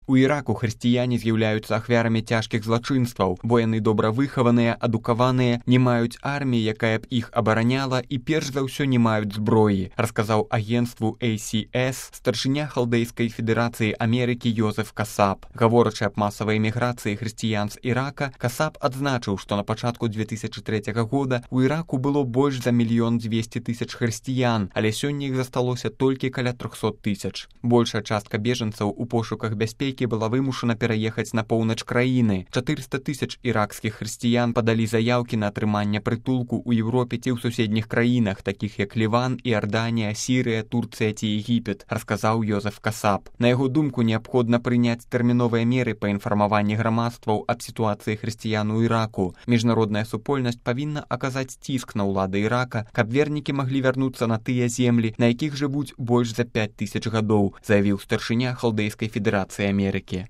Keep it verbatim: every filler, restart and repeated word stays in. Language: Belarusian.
У Іраку хрысціяне з'яўляюцца ахвярамі цяжкіх злачынстваў, бо яны добра выхаваныя, адукаваныя, не маюць арміі, якая б іх абараняла, і перш за ўсё не маюць зброі, расказаў агенцтву эй си эс старшыня Халдэйскай федэрацыі Амерыкі Йозеф Касаб. Гаворачы аб масавай эміграцыі хрысціян з Ірака, Касаб адзначыў, што на пачатку две тысячы трэцяга года ў Іраку было больш за мільён дзвесце тысяч хрысціян, але сёння іх засталося толькі каля трохсот тысяч. Большая частка бежанцаў у пошуках бяспекі была вымушана пераехаць на поўнач краіны. чатырыста тысяч іракскіх хрысціян падалі заяўкі на атрыманне прытулку ў Еўропе ці ў суседніх краінах, такіх як Ліван, Іорданія, Сірыя, Турцыя ці Егіпет, расказаў Йозеф Касаб. На яго думку, неабходна прыняць тэрміновыя меры па інфармаванні грамадстваў аб сітуацыі хрысціян у Іраку. Міжнародная супольнасць павінна аказаць ціск на ўлады Ірака, каб вернікі маглі вярнуцца на тыя землі, на якіх жывуць больш за пяць тысяч гадоў, заявіў старшыня Халдэйскай федэрацыі Амерыкі.